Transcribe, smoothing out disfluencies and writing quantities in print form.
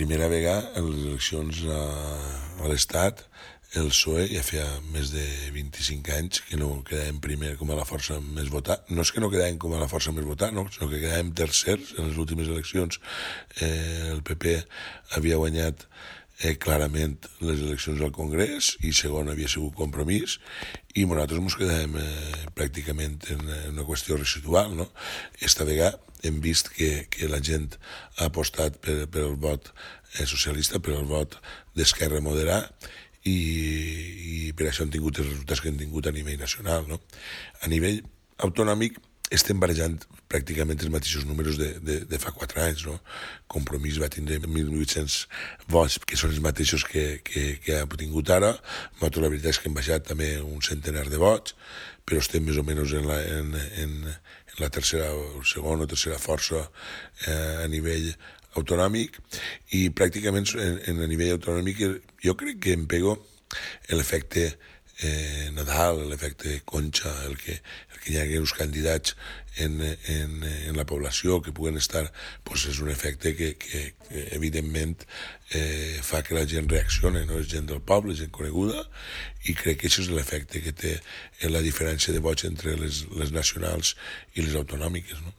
Primera vegada en les eleccions a l'Estat, el PSOE ja feia més de 25 anys que no quedàvem primer com a la força més votada. No és que no quedàvem com a la força més votada, no, sinó que quedàvem tercers en les últimes eleccions. El PP havia guanyat clarament les eleccions al Congrés i segon havia sigut Compromís i nosaltres ens quedàvem pràcticament en una qüestió residual, no? Esta vegada hem vist que la gent ha apostat per el vot socialista, per el vot d'esquerra moderada i per això han tingut els resultats que han tingut a nivell nacional, no? A nivell autonòmic estem barrejant pràcticament els mateixos números de fa 4 anys, no? Compromís va tindre 1.800 vots, que són els mateixos que ha tingut ara. Nosaltres la veritat és que hem baixat també un centenar de vots, però estem més o menys en la tercera o segona o tercera força a nivell autonòmic i pràcticament a nivell autonòmic jo crec que em pego l'efecte Nadal, l'efecte Concha, el que hi hagi uns candidats en la població que puguen estar, doncs és un efecte que evidentment fa que la gent reaccioni, no? És gent del poble, gent coneguda, i crec que això és l'efecte que té la diferència de vots entre les nacionals i les autonòmiques, no?